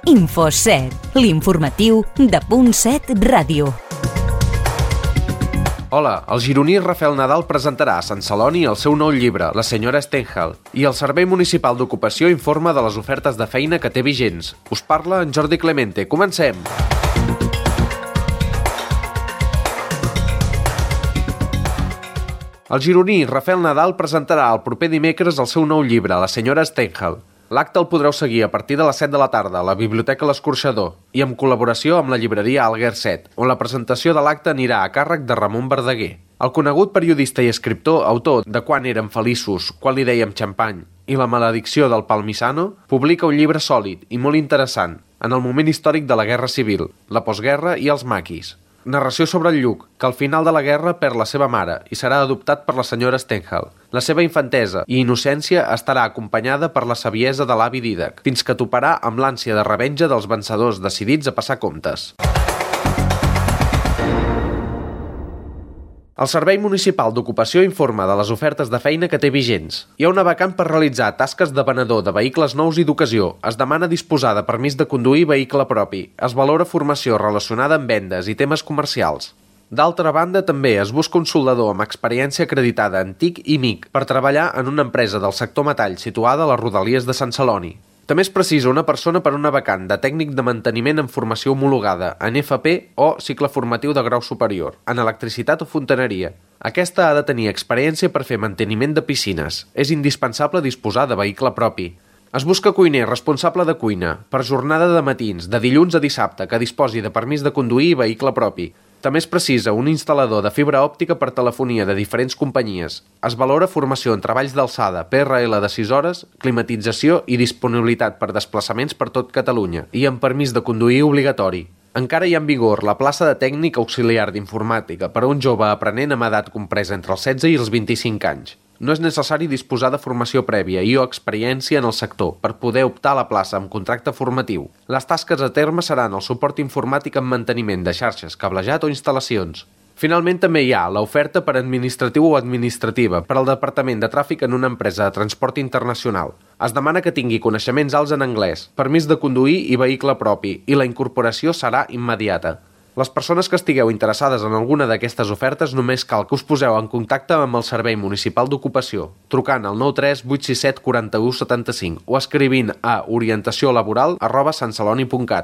Info7, l'informatiu de Punt7 Ràdio. Hola, el gironí Rafael Nadal presentarà a Sant Celoni el seu nou llibre, La senyora Stendhal, i el Servei Municipal d'Ocupació informa de les ofertes de feina que té vigents. Us parla en Jordi Clemente. Comencem! El gironí Rafael Nadal presentarà el proper dimecres el seu nou llibre, La senyora Stendhal. L'acte el podreu seguir a partir de les 7 de la tarda a la Biblioteca L'Escorxador i en col·laboració amb la llibreria Alguer 7, on la presentació de l'acte anirà a càrrec de Ramon Verdaguer. El conegut periodista i escriptor, autor de Quan érem feliços, quan li dèiem xampany i La maledicció del Palmisano, publica un llibre sòlid i molt interessant en el moment històric de la Guerra Civil, la postguerra i els maquis. Narració sobre el Lluc, que al final de la guerra perd la seva mare i serà adoptat per la senyora Stendhal. La seva infantesa i innocència estarà acompanyada per la saviesa de l'avi Dídac, fins que toparà amb l'ànsia de revenja dels vencedors decidits a passar comptes. El Servei Municipal d'Ocupació informa de les ofertes de feina que té vigents. Hi ha una vacant per realitzar tasques de venedor de vehicles nous i d'ocasió. Es demana disposar de permís de conduir vehicle propi. Es valora formació relacionada amb vendes i temes comercials. D'altra banda, també es busca un soldador amb experiència acreditada en TIC i MIC per treballar en una empresa del sector metall situada a les rodalies de Sant Celoni. També es precisa una persona per una vacant de tècnic de manteniment amb formació homologada en FP o cicle formatiu de grau superior, en electricitat o fontaneria. Aquesta ha de tenir experiència per fer manteniment de piscines. És indispensable disposar de vehicle propi. Es busca cuiner responsable de cuina, per jornada de matins, de dilluns a dissabte, que disposi de permís de conduir i vehicle propi. També es precisa un instal·lador de fibra òptica per telefonia de diferents companyies. Es valora formació en treballs d'alçada, PRL de 6 hores, climatització i disponibilitat per desplaçaments per tot Catalunya i amb permís de conduir obligatori. Encara hi ha en vigor la plaça de tècnic auxiliar d'informàtica per a un jove aprenent amb edat compresa entre els 16 i els 25 anys. No és necessari disposar de formació prèvia i o experiència en el sector per poder optar a la plaça amb contracte formatiu. Les tasques a terme seran el suport informàtic amb manteniment de xarxes, cablejat o instal·lacions. Finalment, també hi ha l'oferta per administratiu o administrativa per al Departament de Tràfic en una empresa de transport internacional. Es demana que tingui coneixements alts en anglès, permís de conduir i vehicle propi, i la incorporació serà immediata. Les persones que estigueu interessades en alguna d'aquestes ofertes només cal que us poseu en contacte amb el Servei Municipal d'Ocupació, trucant al 93 867 41 75 o escrivint a orientaciolaboral@santceloni.cat.